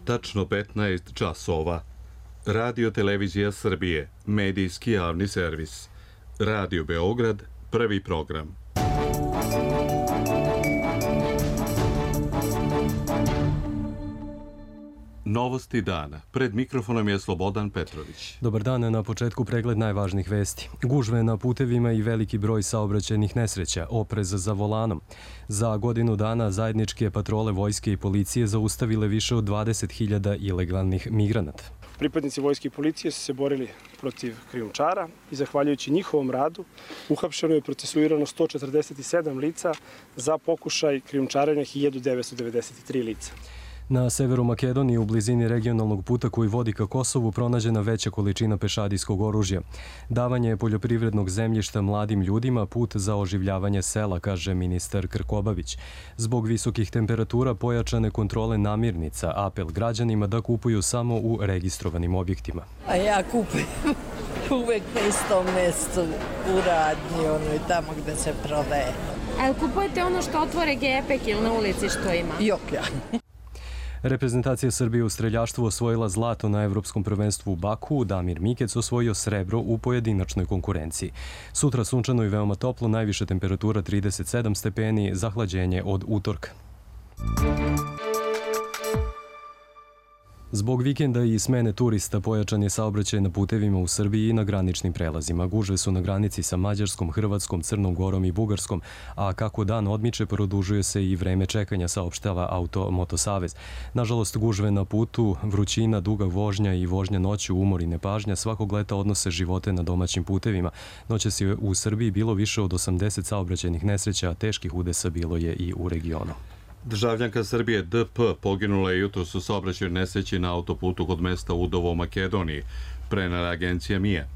tačno 15 časova. Radio Televizija Srbije, medijski javni servis. Radio Beograd, prvi program. Novosti dana. Pred mikrofonom je Slobodan Petrović. Dobar dan, na početku pregled najvažnijih vesti. Gužve na putevima i veliki broj saobraćajnih nesreća, oprez za volanom. Za godinu dana zajedničke patrole vojske i policije zaustavile više od 20.000 ilegalnih migranata. Pripadnici vojske i policije su se borili protiv krijumčara i zahvaljujući njihovom radu uhapšeno je procesuirano 147 lica za pokušaj krijumčarenja 1993 lica. Na severu Makedonije, u blizini regionalnog puta koji vodi ka Kosovu, pronađena veća količina pešadijskog oružja. Davanje poljoprivrednog zemljišta mladim ljudima put za oživljavanje sela, kaže ministar Krkobabić. Zbog visokih temperatura pojačane kontrole namirnica, apel građanima da kupuju samo u registrovanim objektima. A ja kupujem uvek na istom mestu, u radnji, i tamo gde se prodaje. A kupujete ono što otvore gepek ili na ulici što ima? Joklja. Reprezentacija Srbije u streljaštvu osvojila zlato na Evropskom prvenstvu u Baku, Damir Mikec osvojio srebro u pojedinačnoj konkurenciji. Sutra sunčano i veoma toplo, najviša temperatura 37 stepeni, zahlađenje od utorka. Zbog vikenda i smene turista pojačan je saobraćaj na putevima u Srbiji i na graničnim prelazima. Gužve su na granici sa Mađarskom, Hrvatskom, Crnom Gorom i Bugarskom, a kako dan odmiče produžuje se i vreme čekanja, saopštava Auto-Moto Savez. Nažalost, gužve na putu, vrućina, duga vožnja i vožnja noću, umor i nepažnja svakog leta odnose živote na domaćim putevima. Noćas je u Srbiji bilo više od 80 saobraćajnih nesreća, a teških udesa bilo je i u regionu. Državljanka Srbije DP poginula je jutros u saobraćajnoj nesreći na autoputu kod mesta Udovo u Makedoniji, prenela agencija MIA.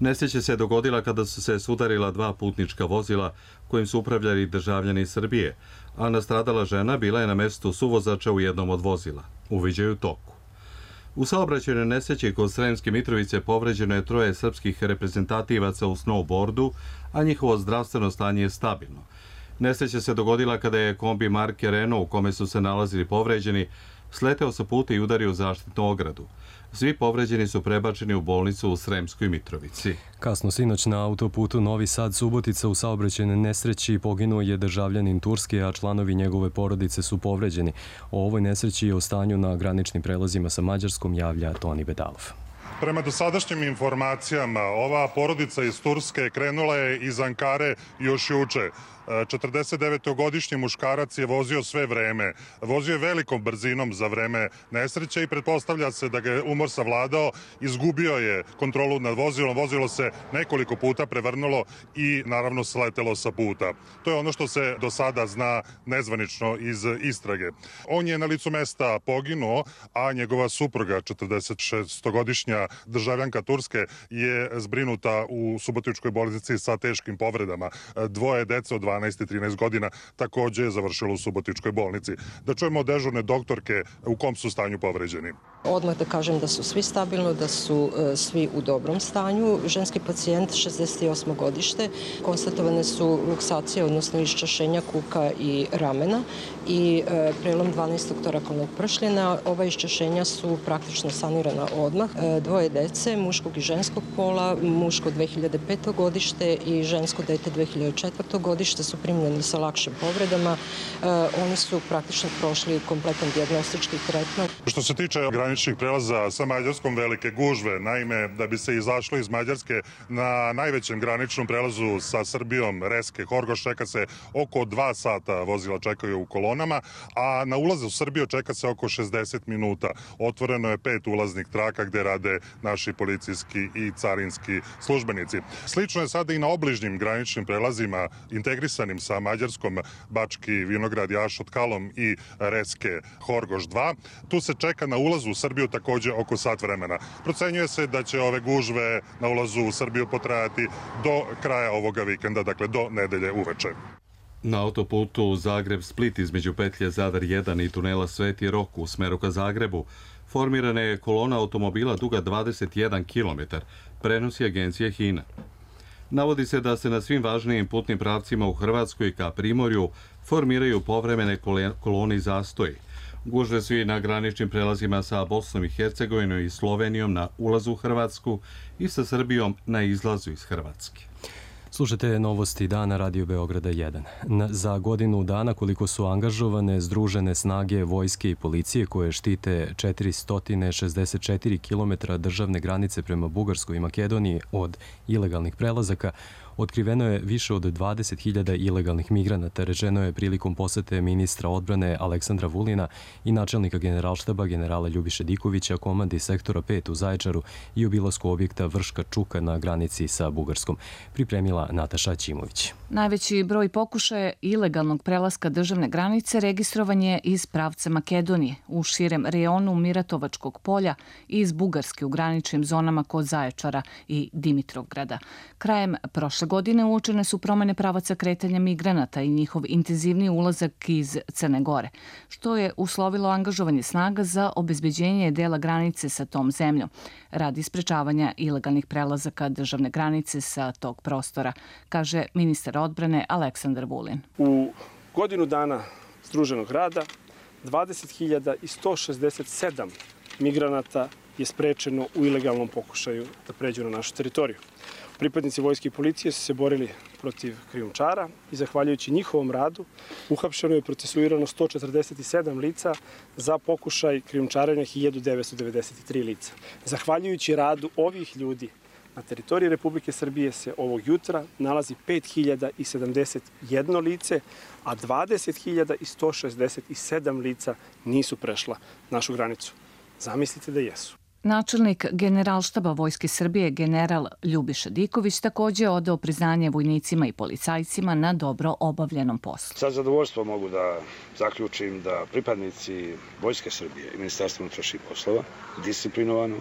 Nesreća se dogodila kada su se sudarila dva putnička vozila kojim su upravljali državljani Srbije, a nastradala žena bila je na mestu suvozača u jednom od vozila. Uviđaju toku. U saobraćajnoj nesreći kod Sremske Mitrovice povređeno je 3 srpskih reprezentativaca u snowboardu, a njihovo zdravstveno stanje je stabilno. Nesreća se dogodila kada je kombi marke Renault u kome su se nalazili povređeni sleteo sa puta i udario zaštitnu ogradu. Svi povređeni su prebačeni u bolnicu u Sremskoj Mitrovici. Kasno sinoć na autoputu Novi Sad-Subotica u saobraćajnoj nesreći poginuo je državljanin Turske, a članovi njegove porodice su povređeni. O ovoj nesreći i o stanju na graničnim prelazima sa Mađarskom javlja Toni Bedalov. Prema dosadašnjim informacijama, ova porodica iz Turske krenula je iz Ankare još juče. 49-godišnji muškarac je vozio sve vreme. Vozio je velikom brzinom za vreme nesreće i pretpostavlja se da ga je umor savladao. Izgubio je kontrolu nad vozilom. Vozilo se nekoliko puta prevrnulo i naravno sletelo sa puta. To je ono što se do sada zna nezvanično iz istrage. On je na licu mesta poginuo, a njegova supruga, 46-godišnja državljanka Turske, je zbrinuta u subotičkoj bolnici sa teškim povredama. Dvoje dece od 12 i 13 godina takođe je završilo u subotičkoj bolnici. Da čujemo od dežurne doktorke u kom su stanju povređeni. Odmah da kažem da su svi stabilno, da su svi u dobrom stanju. Ženski pacijent, 68. godište, konstatovane su luksacije, odnosno iščašenja kuka i ramena i prelom 12. torakalnog pršljena. Ova iščašenja su praktično sanirana odmah. Dvoje dece, muškog i ženskog pola, muško 2005. godište i žensko dete 2004. godište su primljeni sa lakšim povredama. Oni su praktično prošli kompletan dijagnostički tretman. Što se tiče graničnih prelaza sa Mađarskom, velike gužve. Naime, da bi se izašlo iz Mađarske na najvećem graničnom prelazu sa Srbijom, Reske, Horgoš, čeka se oko 2 sata, vozila čekaju u kolonama, a na ulaze u Srbiju čeka se oko 60 minuta. Otvoreno je 5 ulaznih traka gde rade naši policijski i carinski službenici. Slično je sada i na obližnjim graničnim prelazima integrisanim sa Mađarskom, Bački Vinograd, Jašot, Kalom i Reske, Horgoš 2. Tu se čeka na ulazu u Srbiju takođe oko sat vremena. Procenjuje se da će ove gužve na ulazu u Srbiju potrajati do kraja ovoga vikenda, dakle do nedelje uveče. Na autoputu Zagreb-Split između petlje Zadar 1 i tunela Sveti Rok u smeru ka Zagrebu formirana je kolona automobila duga 21 km, prenosi agencija HINA. Navodi se da se na svim važnijim putnim pravcima u Hrvatskoj ka Primorju formiraju povremene kolone i zastoji. Gužve su i na graničnim prelazima sa Bosnom i Hercegovinom i Slovenijom na ulazu u Hrvatsku i sa Srbijom na izlazu iz Hrvatske. Slušajte novosti dana Radio Beograda 1. Za godinu dana koliko su angažovane združene snage vojske i policije koje štite 464 km državne granice prema Bugarskoj i Makedoniji od ilegalnih prelazaka, otkriveno je više od 20.000 ilegalnih migranata, rečeno je prilikom posete ministra odbrane Aleksandra Vulina i načelnika generalštaba generala Ljubiše Dikovića, komandi sektora 5 u Zaječaru i obilasku objekta Vrška Čuka na granici sa Bugarskom. Pripremila Nataša Ćimović. Najveći broj pokušaja ilegalnog prelaska državne granice registrovan je iz pravca Makedonije, u širem rejonu Miratovačkog polja i iz Bugarske u graničnim zonama kod Zaječara i Dimitrovgrada. Krajem prošle godine uočene su promene pravaca kretanja migranata i njihov intenzivni ulazak iz Crne Gore, što je uslovilo angažovanje snaga za obezbeđenje dela granice sa tom zemljom, radi sprečavanja ilegalnih prelazaka državne granice sa tog prostora, kaže ministar odbrane Aleksandar Vulin. U godinu dana združenog rada 20.167 migranata je sprečeno u ilegalnom pokušaju da pređu na našu teritoriju. Pripadnici vojske i policije su se borili protiv krijumčara i zahvaljujući njihovom radu uhapšeno je procesuirano 147 lica za pokušaj krijumčarenja 1993 lica. Zahvaljujući radu ovih ljudi na teritoriji Republike Srbije se ovog jutra nalazi 5.071 lice, a 20.167 lica nisu prešla našu granicu. Zamislite da jesu. Načelnik Generalštaba Vojske Srbije general Ljubiša Diković također je odao priznanje vojnicima i policajcima na dobro obavljenom poslu. Sa zadovoljstvom mogu da zaključim da pripadnici Vojske Srbije i Ministarstva unutrašnjih poslova disciplinovano,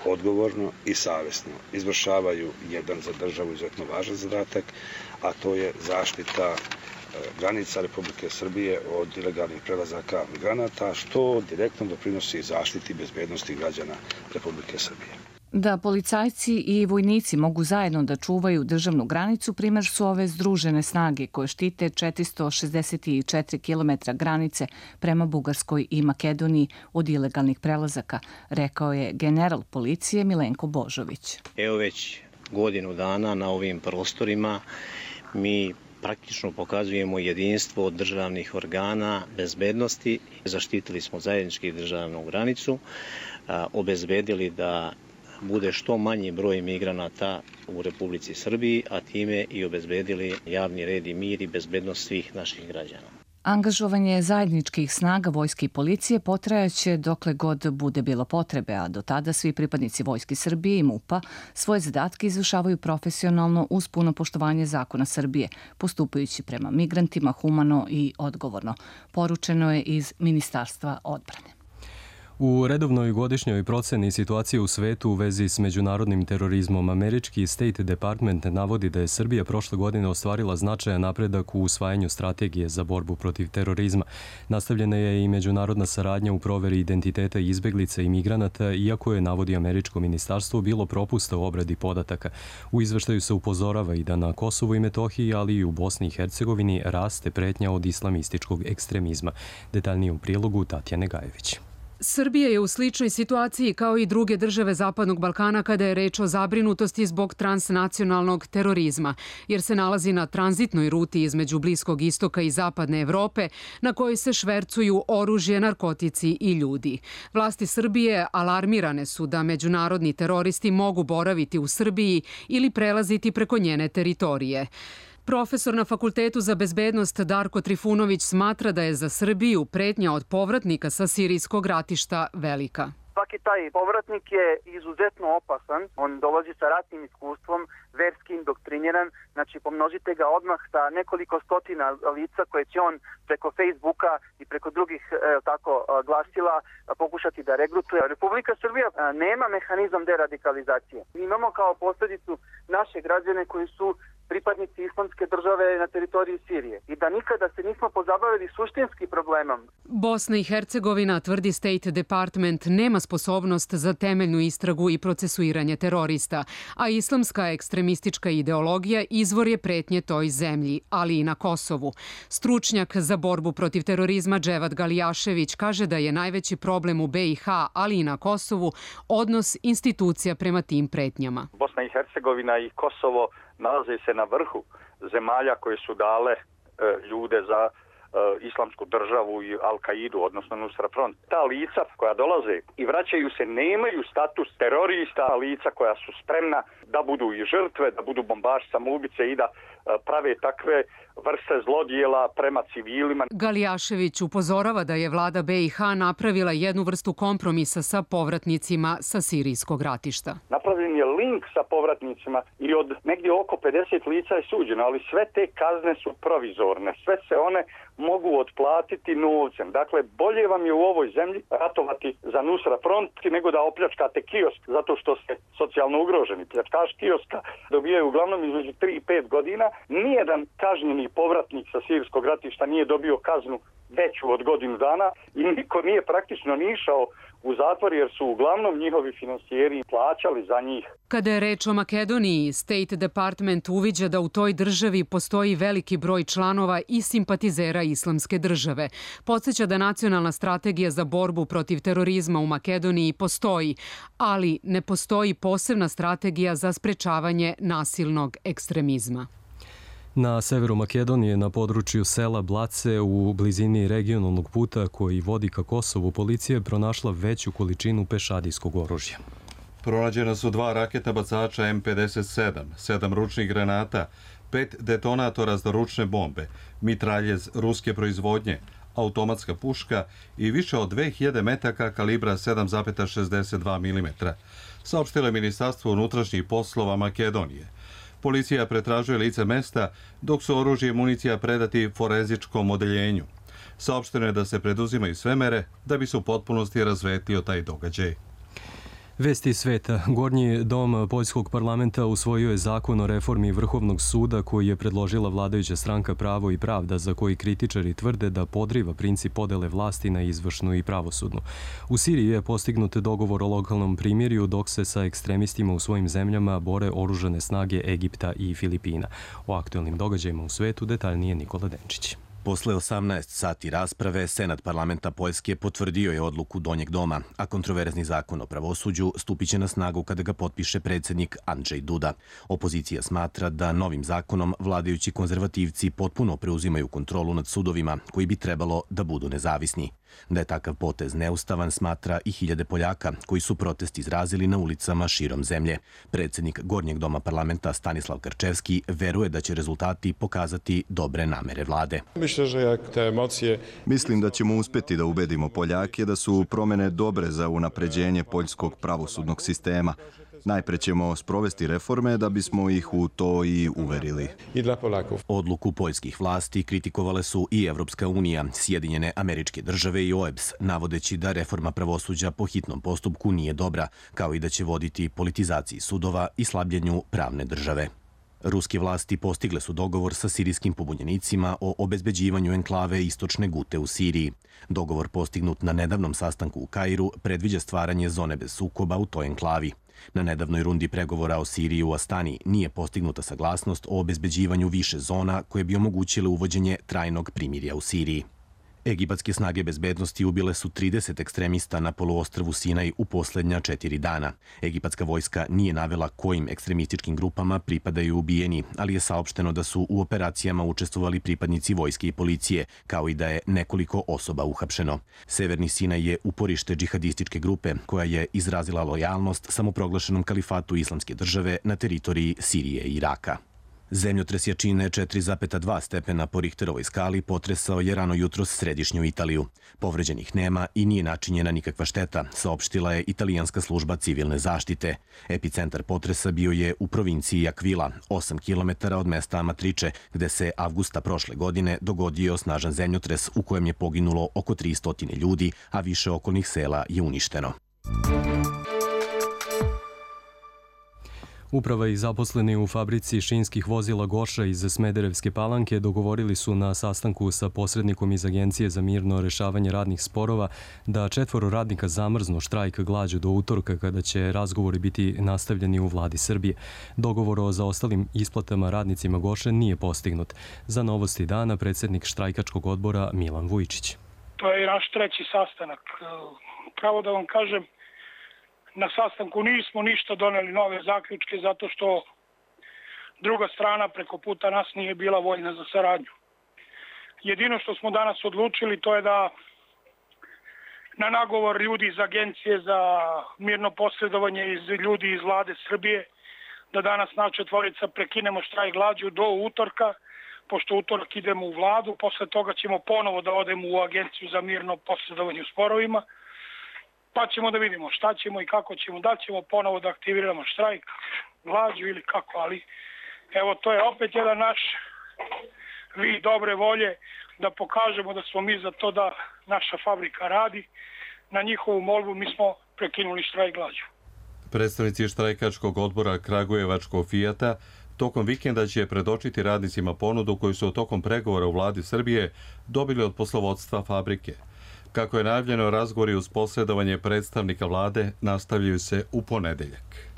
odgovorno i savesno izvršavaju jedan za državu izuzetno važan zadatak, a to je zaštita granica Republike Srbije od ilegalnih prelazaka migranata, što direktno doprinosi zaštiti bezbednosti građana Republike Srbije. Da policajci i vojnici mogu zajedno da čuvaju državnu granicu, primjer su ove združene snage koje štite 464 km granice prema Bugarskoj i Makedoniji od ilegalnih prelazaka, rekao je general policije Milenko Božović. Evo već godinu dana na ovim prostorima mi praktično pokazujemo jedinstvo državnih organa bezbednosti. Zaštitili smo zajednički državnu granicu, obezbedili da bude što manji broj migranata u Republici Srbiji, a time i obezbedili javni red i mir i bezbednost svih naših građana. Angažovanje zajedničkih snaga vojske i policije potrajaće dokle god bude bilo potrebe, a do tada svi pripadnici Vojske Srbije i MUP-a svoje zadatke izvršavaju profesionalno uz puno poštovanje zakona Srbije, postupajući prema migrantima humano i odgovorno, poručeno je iz Ministarstva odbrane. U redovnoj godišnjoj proceni situacije u svetu u vezi s međunarodnim terorizmom, američki State Department navodi da je Srbija prošle godine ostvarila značajan napredak u usvajanju strategije za borbu protiv terorizma. Nastavljena je i međunarodna saradnja u proveri identiteta izbeglica i migranata, iako je, navodi američko ministarstvo, bilo propusta u obradi podataka. U izveštaju se upozorava i da na Kosovu i Metohiji, ali i u Bosni i Hercegovini raste pretnja od islamističkog ekstremizma. Detaljnije u prilogu Tatjane Gajević. Srbija je u sličnoj situaciji kao i druge države Zapadnog Balkana kada je reč o zabrinutosti zbog transnacionalnog terorizma, jer se nalazi na tranzitnoj ruti između Bliskog istoka i Zapadne Evrope, na kojoj se švercuju oružje, narkotici i ljudi. Vlasti Srbije alarmirane su da međunarodni teroristi mogu boraviti u Srbiji ili prelaziti preko njene teritorije. Profesor na Fakultetu za bezbednost Darko Trifunović smatra da je za Srbiju pretnja od povratnika sa sirijskog ratišta velika. Svaki taj povratnik je izuzetno opasan, on dolazi sa ratnim iskustvom, verski indoktriniran, znači pomnožite ga odmah sa nekoliko stotina lica koje će on preko Facebooka i preko drugih glasila pokušati da regrutuje. Republika Srbija nema mehanizam deradikalizacije. Imamo kao posljedicu naše građane koji su pripadnici islamske države na teritoriji Sirije i da nikada se nismo pozabavili suštinskim problemom. Bosna i Hercegovina, tvrdi State Department, nema sposobnost za temeljnu istragu i procesuiranje terorista, a islamska ekstremistička ideologija izvor je pretnje toj zemlji, ali i na Kosovu. Stručnjak za borbu protiv terorizma Dževad Galijašević kaže da je najveći problem u BiH, ali i na Kosovu, odnos institucija prema tim pretnjama. Bosna i Hercegovina i Kosovo nalaze se na vrhu zemalja koje su dale ljude za islamsku državu i Al-Kaidu, odnosno Nusra Front. Ta lica koja dolaze i vraćaju se nemaju status terorista, lica koja su spremna da budu i žrtve, da budu bombaši, samoubice i da prave takve vrste zlodjela prema civilima. Galijašević upozorava da je vlada BiH napravila jednu vrstu kompromisa sa povratnicima sa sirijskog ratišta. Napravljen je link sa povratnicima i od negdje oko 50 lica je suđeno, ali sve te kazne su provizorne, sve se one mogu otplatiti novcem. Dakle, bolje vam je u ovoj zemlji ratovati za Nusra Front nego da opljačkate kiosk zato što ste socijalno ugroženi. Pljačkaš kioska dobijaju uglavnom između 3 i 5 godina. Nijedan kažnjeni povratnik sa sirijskog ratišta nije dobio kaznu veću od godinu dana i niko nije praktično ni išao u zatvor jer su uglavnom njihovi finansijeri plaćali za njih. Kada je reč o Makedoniji, State Department uviđa da u toj državi postoji veliki broj članova i simpatizera islamske države. Podsjeća da nacionalna strategija za borbu protiv terorizma u Makedoniji postoji, ali ne postoji posebna strategija za sprečavanje nasilnog ekstremizma. Na severu Makedonije, na području sela Blace, u blizini regionalnog puta koji vodi ka Kosovu, policija je pronašla veću količinu pešadijskog oružja. Pronađena su 2 raketna bacača M57, 7 ručnih granata, 5 detonatora za ručne bombe, mitraljez ruske proizvodnje, automatska puška i više od 2000 metaka kalibra 7,62 mm, saopštilo je Ministarstvo unutrašnjih poslova Makedonije. Policija pretražuje lice mesta, dok su oružje i municija predati forenzičkom odeljenju. Saopšteno je da se preduzimaju sve mere da bi se u potpunosti razvetlio taj događaj. Vesti iz sveta. Gornji dom Poljskog parlamenta usvojio je zakon o reformi Vrhovnog suda koji je predložila vladajuća stranka Pravo i pravda, za koji kritičari tvrde da podriva princip podele vlasti na izvršnu i pravosudnu. U Siriji je postignut dogovor o lokalnom primirju, dok se sa ekstremistima u svojim zemljama bore oružane snage Egipta i Filipina. O aktuelnim događajima u svetu detaljnije Nikola Denčić. Posle 18 sati rasprave, Senat parlamenta Poljske potvrdio je odluku Donjeg doma, a kontroverzni zakon o pravosuđu stupiće na snagu kada ga potpiše predsjednik Andrzej Duda. Opozicija smatra da novim zakonom vladajući konzervativci potpuno preuzimaju kontrolu nad sudovima, koji bi trebalo da budu nezavisni. Da je takav potez neustavan, smatra i hiljade Poljaka, koji su protest izrazili na ulicama širom zemlje. Predsjednik Gornjeg doma parlamenta Stanislav Karčevski veruje da će rezultati pokazati dobre namere vlade. Mislim da ćemo uspjeti da ubedimo Poljake da su promjene dobre za unapređenje poljskog pravosudnog sistema. Najpre ćemo sprovesti reforme da bismo ih u to i uverili. Odluku poljskih vlasti kritikovale su i Evropska unija, Sjedinjene Američke Države i OEBS, navodeći da reforma pravosuđa po hitnom postupku nije dobra, kao i da će voditi politizaciji sudova i slabljenju pravne države. Ruske vlasti postigle su dogovor sa sirijskim pobunjenicima o obezbeđivanju enklave Istočne Gute u Siriji. Dogovor postignut na nedavnom sastanku u Kairu predviđa stvaranje zone bez sukoba u toj enklavi. Na nedavnoj rundi pregovora o Siriji u Astani nije postignuta saglasnost o obezbeđivanju više zona koje bi omogućile uvođenje trajnog primirja u Siriji. Egipatske snage bezbednosti ubile su 30 ekstremista na poluostrvu Sinaj u posljednja 4 dana. Egipatska vojska nije navela kojim ekstremističkim grupama pripadaju ubijeni, ali je saopšteno da su u operacijama učestvovali pripadnici vojske i policije, kao i da je nekoliko osoba uhapšeno. Severni Sinaj je uporište džihadističke grupe koja je izrazila lojalnost samoproglašenom kalifatu Islamske države na teritoriji Sirije i Iraka. Zemljotres jačine 4,2 stepena po Richterovoj skali potresao je rano jutros središnju Italiju. Povređenih nema i nije načinjena nikakva šteta, saopštila je italijanska služba civilne zaštite. Epicentar potresa bio je u provinciji Aquila, 8 km od mesta Amatrice, gde se avgusta prošle godine dogodio snažan zemljotres u kojem je poginulo oko 300 ljudi, a više okolnih sela je uništeno. Uprava i zaposleni u fabrici šinskih vozila Goša iz Smederevske Palanke dogovorili su na sastanku sa posrednikom iz Agencije za mirno rešavanje radnih sporova da 4 radnika zamrznu štrajk glađu do utorka kada će razgovori biti nastavljeni u vladi Srbije. Dogovor o zaostalim isplatama radnicima Goše nije postignut. Za Novosti dana predsjednik štrajkačkog odbora Milan Vujčić. To je naš 3. sastanak. Pravo da vam kažem, na sastanku nismo ništa doneli nove zaključke zato što druga strana preko puta nas nije bila voljna za saradnju. Jedino što smo danas odlučili to je da na nagovor ljudi iz Agencije za mirno posredovanje i ljudi iz vlade Srbije da danas na 4 prekinemo štrajk glađu do utorka, pošto utorak idemo u vladu, posle toga ćemo ponovo da odemo u Agenciju za mirno posredovanje u sporovima, pa ćemo da vidimo šta ćemo i kako ćemo, da ćemo ponovo da aktiviramo štrajk, glađu ili kako, ali evo to je opet jedan naš vid dobre volje da pokažemo da smo mi za to da naša fabrika radi. Na njihovu molbu mi smo prekinuli štrajk glađu. Predstavnici štrajkačkog odbora Kragujevačkog Fijata tokom vikenda će predočiti radnicima ponudu koju su tokom pregovora u vladi Srbije dobili od poslovodstva fabrike. Kako je najavljeno, razgovori uz posredovanje predstavnika vlade nastavljaju se u ponedeljak.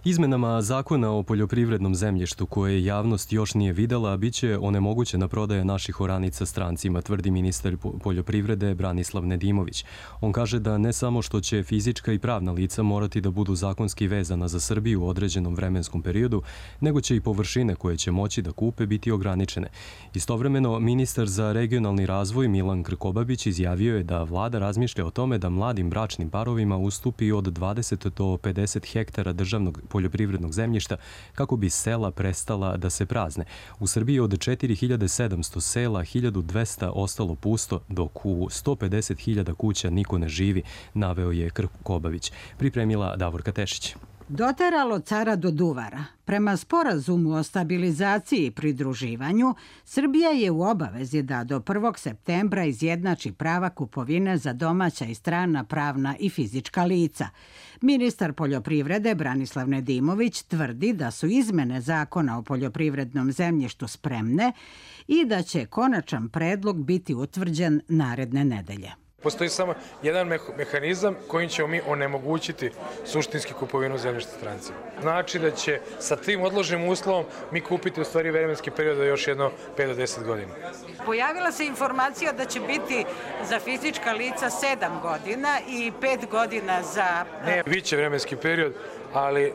Izmenama zakona o poljoprivrednom zemljištu koje javnost još nije videla, biće onemogućena prodaja naših oranica strancima, tvrdi ministar poljoprivrede Branislav Nedimović. On kaže da ne samo što će fizička i pravna lica morati da budu zakonski vezana za Srbiju u određenom vremenskom periodu, nego će i površine koje će moći da kupe biti ograničene. Istovremeno, ministar za regionalni razvoj Milan Krkobabić izjavio je da vlada razmišlja o tome da mladim bračnim parovima ustupi od 20 do 50 hektara državnog poljoprivrednog zemljišta kako bi sela prestala da se prazne. U Srbiji od 4700 sela 1200 ostalo pusto, dok u 150.000 kuća niko ne živi, naveo je Krkobabić. Pripremila Davorka Tešić. Doteralo cara do duvara. Prema sporazumu o stabilizaciji i pridruživanju, Srbija je u obavezi da do 1. septembra izjednači prava kupovine za domaća i strana pravna i fizička lica. Ministar poljoprivrede Branislav Nedimović tvrdi da su izmene zakona o poljoprivrednom zemljištu spremne i da će konačan predlog biti utvrđen naredne nedelje. Postoji samo jedan mehanizam kojim ćemo mi onemogućiti suštinski kupovinu zemljišta strancima. Znači da će sa tim odloženim uslovom mi kupiti u stvari vremenski period da još jedno 5 do 10 godina. Pojavila se informacija da će biti za fizička lica 7 godina i 5 godina za... Ne, bit će vremenski period, ali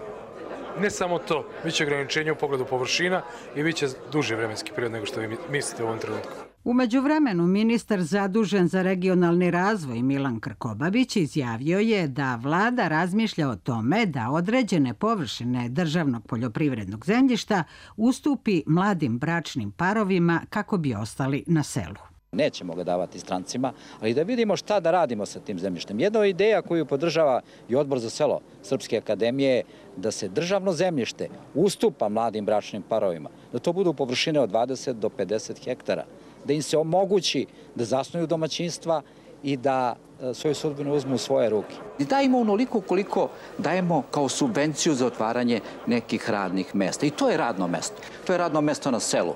ne samo to, bit će ograničenje u pogledu površina i bit će duži vremenski period nego što vi mislite u ovom trenutku. U međuvremenu, ministar zadužen za regionalni razvoj Milan Krkobabić izjavio je da vlada razmišlja o tome da određene površine državnog poljoprivrednog zemljišta ustupi mladim bračnim parovima kako bi ostali na selu. Nećemo ga davati strancima, ali da vidimo šta da radimo sa tim zemljištem. Jedna ideja koju podržava i Odbor za selo Srpske akademije je da se državno zemljište ustupa mladim bračnim parovima, da to budu površine od 20 do 50 hektara, da im se omogući da zasnuju domaćinstva i da svoju sudbinu uzmu u svoje ruke. Dajemo onoliko koliko dajemo kao subvenciju za otvaranje nekih radnih mesta. I to je radno mesto. To je radno mesto na selu.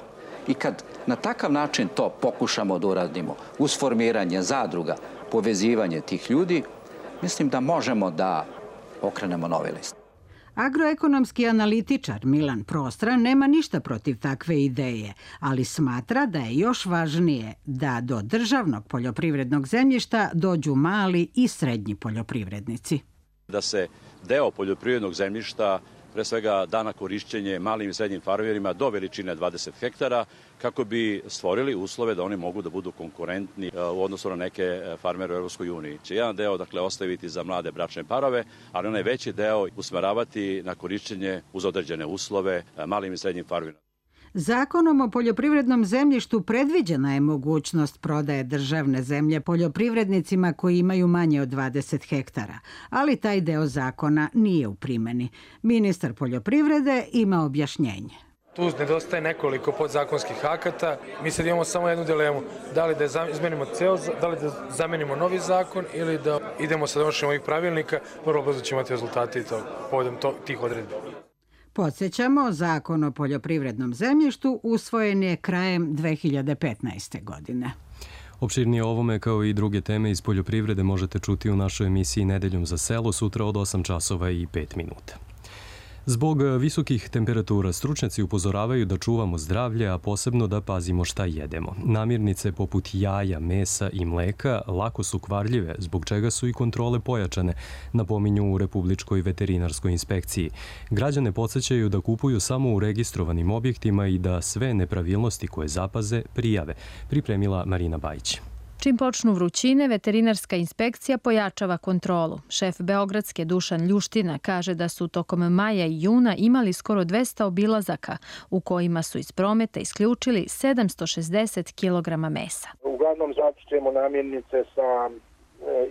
I kad na takav način to pokušamo da uradimo, uz formiranje zadruga, povezivanje tih ljudi, mislim da možemo da okrenemo novi list. Agroekonomski analitičar Milan Prostra nema ništa protiv takve ideje, ali smatra da je još važnije da do državnog poljoprivrednog zemljišta dođu mali i srednji poljoprivrednici. Da se deo poljoprivrednog zemljišta pre svega da na korišćenje malim i srednjim farmerima do veličine 20 hektara kako bi stvorili uslove da oni mogu da budu konkurentni u odnosu na neke farmere u Evropskoj uniji. Će jedan deo ostaviti za mlade bračne parove, ali onaj veći deo usmeravati na korišćenje uz određene uslove malim i srednjim farmerima. Zakonom o poljoprivrednom zemljištu predviđena je mogućnost prodaje državne zemlje poljoprivrednicima koji imaju manje od 20 hektara, ali taj deo zakona nije u primjeni. Ministar poljoprivrede ima objašnjenje. Tu nedostaje nekoliko podzakonskih akata. Mi sad imamo samo jednu dilemu. Da li da izmenimo da li da zamenimo novi zakon ili da idemo sa donošenjem ovih pravilnika, vrlo brzo ćemo imati rezultati povodom tih odredbi. Podsjećamo, Zakon o poljoprivrednom zemljištu usvojen je krajem 2015. godine. Opširnije o ovome kao i druge teme iz poljoprivrede možete čuti u našoj emisiji Nedeljom za selo sutra od 8 časova i 5 minuta. Zbog visokih temperatura stručnjaci upozoravaju da čuvamo zdravlje, a posebno da pazimo šta jedemo. Namirnice poput jaja, mesa i mleka lako su kvarljive, zbog čega su i kontrole pojačane, napominju u Republičkoj veterinarskoj inspekciji. Građane podsjećaju da kupuju samo u registrovanim objektima i da sve nepravilnosti koje zapaze prijave, pripremila Marina Bajić. Čim počnu vrućine, veterinarska inspekcija pojačava kontrolu. Šef Beogradske Dušan Ljuština kaže da su tokom maja i juna imali skoro 200 obilazaka, u kojima su iz prometa isključili 760 kg mesa. Uglavnom zatičemo namirnice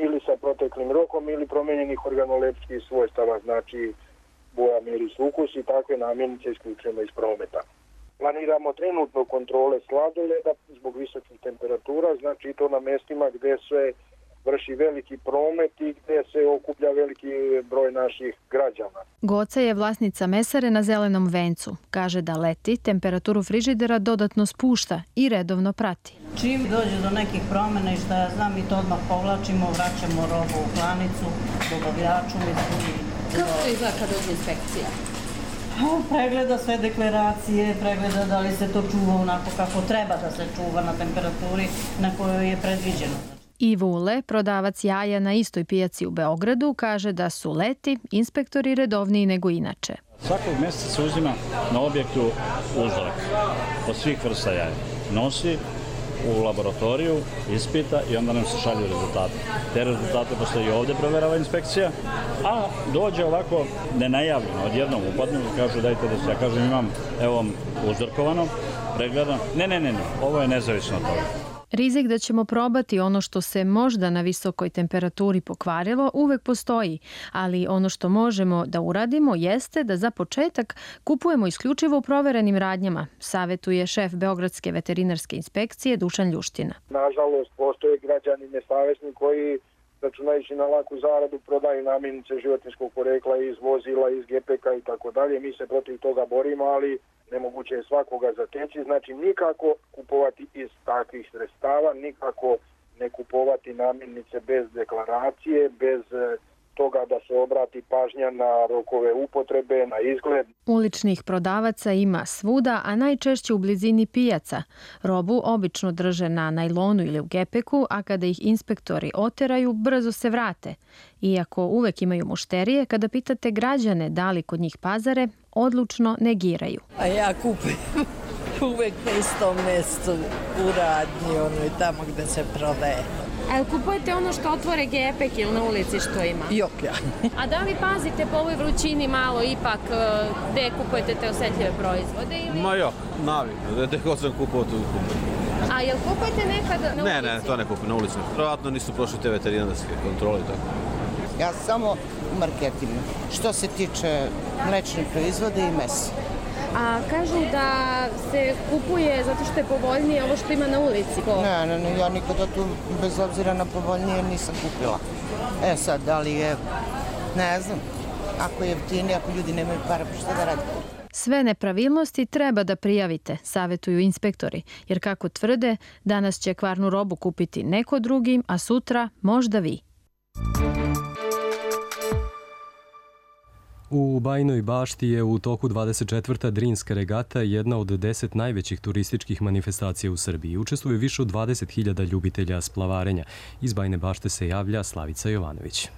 ili sa proteklim rokom ili promenjenih organolepskih svojstava, znači boja, miris, ukus i takve namirnice isključujemo iz prometa. Planiramo trenutno kontrole sladoleda zbog visokih temperatura, znači to na mestima gdje se vrši veliki promet i gdje se okuplja veliki broj naših građana. Goca je vlasnica mesare na Zelenom vencu. Kaže da leti temperaturu frižidera dodatno spušta i redovno prati. Čim dođe do nekih promjena i šta ja znam, mi to odmah povlačimo, vraćamo robu u klanicu, dobavljaču. Kako to izgleda kad dođe inspekcija? Pregleda sve deklaracije, pregleda da li se to čuva onako kako treba da se čuva na temperaturi na kojoj je predviđeno. Ivo Ule, prodavac jaja na istoj pijaci u Beogradu, kaže da su leti inspektori redovniji nego inače. Svakog mjeseca se uzima na objektu uzorak od svih vrsta jaja. Nosi u laboratoriju, ispita i onda nam se šalju rezultate. Te rezultate posle i ovdje proverava inspekcija, a dođe ovako nenajavljeno, odjednom upadnu i kažu dajte da se, ja kažem imam, evo uzorkovano, pregledano, ne, ovo je nezavisno od toga. Rizik da ćemo probati ono što se možda na visokoj temperaturi pokvarilo uvek postoji, ali ono što možemo da uradimo jeste da za početak kupujemo isključivo u proverenim radnjama, savetuje šef Beogradske veterinarske inspekcije Dušan Ljuština. Nažalost, postoje građani nesavesni koji, računajući na laku zaradu, prodaju namirnice životinjskog porekla iz vozila, iz gepeka i tako dalje. Mi se protiv toga borimo, ali nemoguće je svakoga zateći. Znači nikako kupovati iz takvih sredstava, nikako ne kupovati namirnice bez deklaracije, bez toga da se obrati pažnja na rokove upotrebe, na izgled. Uličnih prodavaca ima svuda, a najčešće u blizini pijaca. Robu obično drže na najlonu ili u gepeku, a kada ih inspektori oteraju, brzo se vrate. Iako uvek imaju mušterije, kada pitate građane da li kod njih pazare, odlučno negiraju. A ja kupujem uvek na istom mjestu u radnji, i tamo gde se prodaje. A kupujete ono što otvore gepek ili na ulici što ima? Jok ja. A da li pazite po ovoj vrućini malo ipak gde kupujete te osetljive proizvode? Ili... Ma jok, navikno, gde god sam kupao tu kupujete. A jel kupujete nekad na ulici? Ne, to ne kupujem na ulici. Vjerojatno nisu prošli te veterinarske kontrole i tako. Ja samo u marketingu. Što se tiče mlečnih proizvoda i mesa. A kažu da se kupuje zato što je povoljnije ovo što ima na ulici. Ne, ja nikada tu bez obzira na povoljnije nisam kupila. Sad, da li je, ne znam, ako je jeftinije, ako ljudi nemaju para, pa šta da radi? Sve nepravilnosti treba da prijavite, savetuju inspektori, jer kako tvrde, danas će kvarnu robu kupiti neko drugi, a sutra možda vi. U Bajinoj Bašti je u toku 24. Drinska regata jedna od 10 najvećih turističkih manifestacija u Srbiji. Učestvuje više od 20.000 ljubitelja splavarenja. Iz Bajine Bašte se javlja Slavica Jovanović.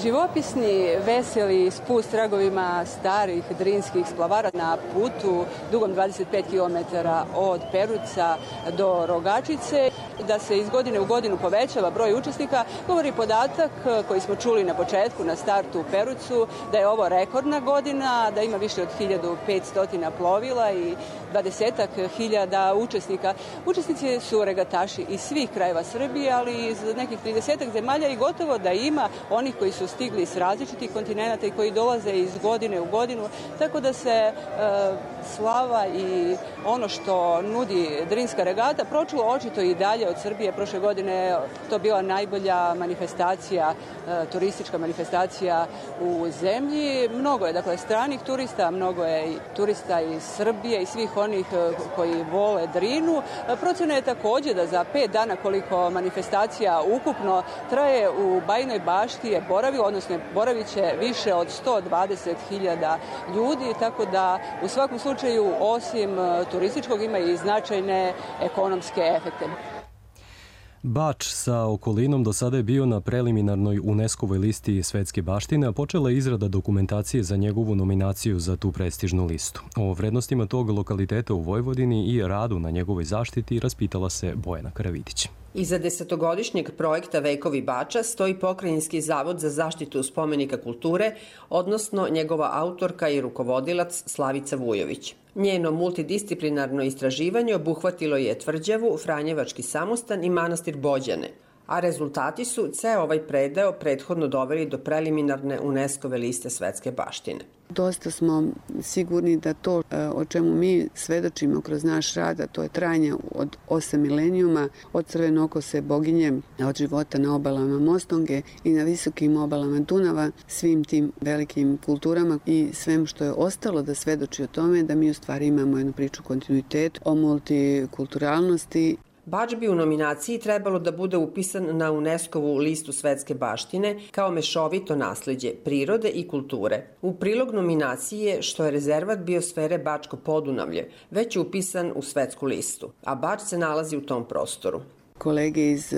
Živopisni, veseli spust tragovima starih drinskih splavara na putu dugom 25 km od Peruca do Rogačice. Da se iz godine u godinu povećava broj učesnika, govori podatak koji smo čuli na početku, na startu u Perucu, da je ovo rekordna godina, da ima više od 1500 plovila i 20-ak hiljada učesnika. Učesnici su regataši iz svih krajeva Srbije, ali iz nekih 30-ak zemalja i gotovo da ima onih koji su stigli s različitih kontinenata i koji dolaze iz godine u godinu, tako da se slava i ono što nudi Drinska regata pročulo očito i dalje od Srbije. Prošle godine to bila najbolja manifestacija, turistička manifestacija u zemlji. Mnogo je dakle stranih turista, mnogo je i turista iz Srbije i svih onih koji vole Drinu. Procena je takođe da za 5 dana koliko manifestacija ukupno traje u Bajinoj Bašti je boravilo, odnosno boravit će više od 120.000 ljudi, tako da u svakom slučaju osim turističkog ima i značajne ekonomske efekte. Bač sa okolinom do sada je bio na preliminarnoj UNESCO-voj listi svetske baštine, a počela je izrada dokumentacije za njegovu nominaciju za tu prestižnu listu. O vrednostima tog lokaliteta u Vojvodini i radu na njegovoj zaštiti raspitala se Bojana Karavidić. Iza 10-godišnjeg projekta Vekovi Bača stoji Pokrajinski zavod za zaštitu spomenika kulture, odnosno njegova autorka i rukovodilac Slavica Vujović. Njeno multidisciplinarno istraživanje obuhvatilo je Tvrđavu, Franjevački samostan i manastir Bođane, a rezultati su ceo ovaj predeo prethodno doveli do preliminarne UNESCO-ve liste svetske baštine. Dosta smo sigurni da to o čemu mi svedočimo kroz naš rad, a to je trajanje od 8 milenijuma, od crvenokose boginje, od života na obalama Mostonge i na visokim obalama Dunava, svim tim velikim kulturama i svem što je ostalo da svedoči o tome da mi u stvari imamo jednu priču kontinuitetu o multikulturalnosti. Bač bi u nominaciji trebalo da bude upisan na UNESCO-vu listu svetske baštine kao mešovito nasleđe prirode i kulture. U prilog nominaciji je što je rezervat biosfere Bačko Podunavlje već upisan u svetsku listu, a Bač se nalazi u tom prostoru. Kolege iz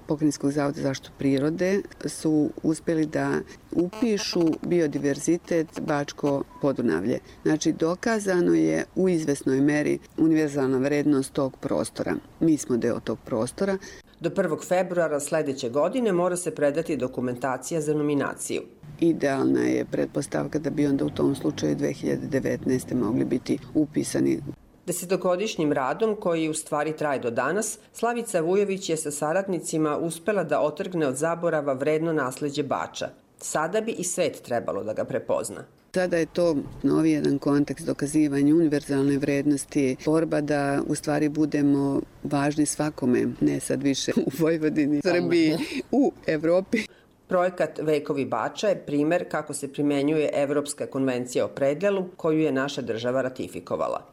Pokrajinskog zavoda za zaštitu prirode su uspeli da upišu biodiverzitet Bačko Podunavlje. Znači, dokazano je u izvesnoj meri univerzalna vrednost tog prostora. Mi smo deo tog prostora. Do 1. februara sledeće godine mora se predati dokumentacija za nominaciju. Idealna je pretpostavka da bi onda u tom slučaju 2019. mogli biti upisani. 10-godišnjim radom, koji u stvari traje do danas, Slavica Vujović je sa saradnicima uspela da otrgne od zaborava vredno nasleđe Bača. Sada bi i svet trebalo da ga prepozna. Sada je to novi jedan kontekst dokazivanja univerzalne vrednosti, borba da u stvari budemo važni svakome, ne sad više u Vojvodini, Srbiji, u Evropi. Projekat Vekovi Bača je primer kako se primenjuje Evropska konvencija o predelu koju je naša država ratifikovala.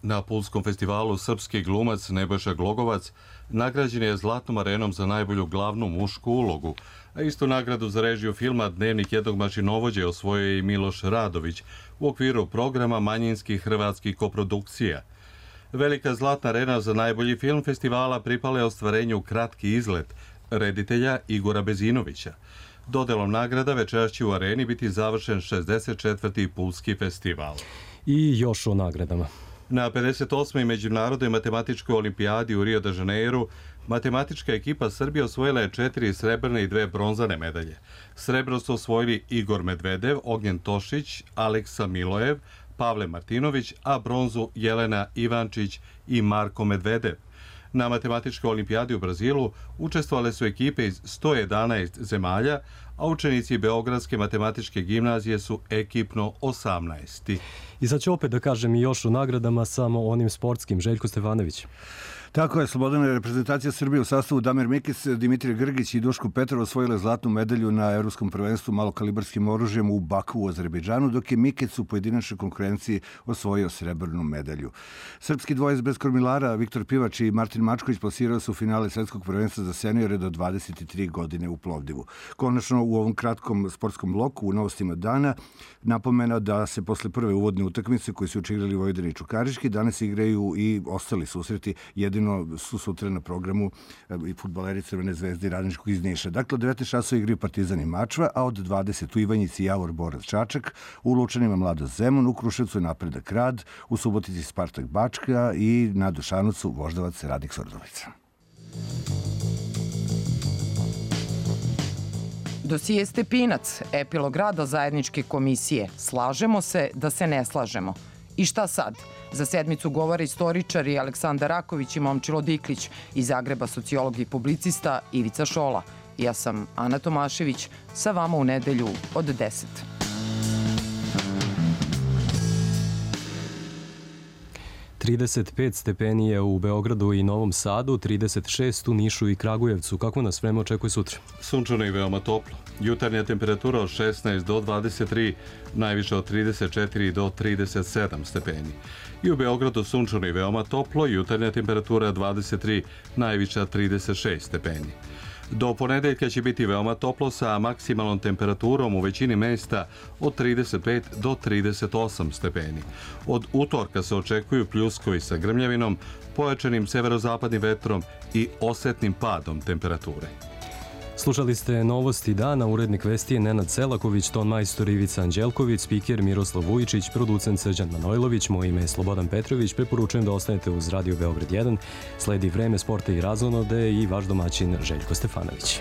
Na Pulskom festivalu srpski glumac Nebojša Glogovac nagrađen je Zlatnom arenom za najbolju glavnu mušku ulogu, a istu nagradu za režiju filma Dnevnik jednog mašinovođe osvojio je i Miloš Radović u okviru programa manjinskih hrvatskih koprodukcija. Velika Zlatna arena za najbolji film festivala pripala je ostvarenju Kratki izlet reditelja Igora Bezinovića. Dodelom nagrada večeras će u areni biti završen 64. Pulski festival. I još o nagradama. Na 58. Međunarodnoj matematičkoj olimpijadi u Rio de Janeiru matematička ekipa Srbije osvojila je 4 srebrne i 2 bronzane medalje. Srebro su osvojili Igor Medvedev, Ognjen Tošić, Aleksa Milojev, Pavle Martinović, a bronzu Jelena Ivančić i Marko Medvedev. Na matematičkoj olimpijadi u Brazilu učestvovale su ekipe iz 111 zemalja, a učenici Beogradske matematičke gimnazije su ekipno 18. I sad ću opet da kažem i još o nagradama, samo onim sportskim. Željko Stefanović. Tako je, Slobodana reprezentacija Srbije u sastavu Damir Mikić, Dimitrije Grgić i Duško Petrov osvojile zlatnu medalju na Evropskom prvenstvu malokalibarskim oružjem u Baku u Azerbejdžanu, dok je Mikić u pojedinačnoj konkurenciji osvojio srebrnu medalju. Srpski dvojac bez kormilara Viktor Pivač i Martin Mačković plasirao su finale svetskog prvenstva za seniore do 23 godine u Plovdivu. Konačno, u ovom kratkom sportskom bloku u novostima dana napomena da se posle prve uvodne utakmice koji su igrali Vojvodina i Čukarički danas igraju i ostali susreti. Jedino su sutra na programu i fudbaleri Crvene zvezde i Radničkog iz Niša. Dakle, od 19 časova igraju Partizan i Mačva, a od 20 u Ivanjici Javor Borac Čačak, u Lučanima Mlado Zemun, u Kruševcu je Napredak Rad, u Subotici Spartak Bačka i na Dušanovcu Voždovac Radnik Surdulica. Dosije Stepinac, epilog rada zajedničke komisije. Slažemo se da se ne slažemo. I šta sad? Za sedmicu govore istoričari Aleksandar Raković i Momčilo Diklić, iz Zagreba sociolog i publicista Ivica Šola. Ja sam Ana Tomašević, sa vama u nedelju od 10. –35 stepeni je u Beogradu i Novom Sadu, 36 u Nišu i Kragujevcu. Kako nas vreme očekuje sutra? Sunčano i veoma toplo. Jutarnja temperatura od 16 do 23, najviše od 34 do 37 stepeni. I u Beogradu sunčano i veoma toplo, jutarnja temperatura 23, najviša 36 stepeni. Do ponedeljka će biti veoma toplo sa maksimalnom temperaturom u većini mesta od 35 do 38 stepeni. Od utorka se očekuju pljuskovi sa grmljavinom, pojačanim severozapadnim vetrom i osetnim padom temperature. Slušali ste novosti dana, urednik vesti je Nenad Selaković, ton majstor Ivica Anđelković, spiker Miroslav Vujičić, producent Srđan Manojlović, moje ime je Slobodan Petrović. Preporučujem da ostanete uz Radio Beograd 1. Sledi vreme sporta i razonode i vaš domaćin Željko Stefanović.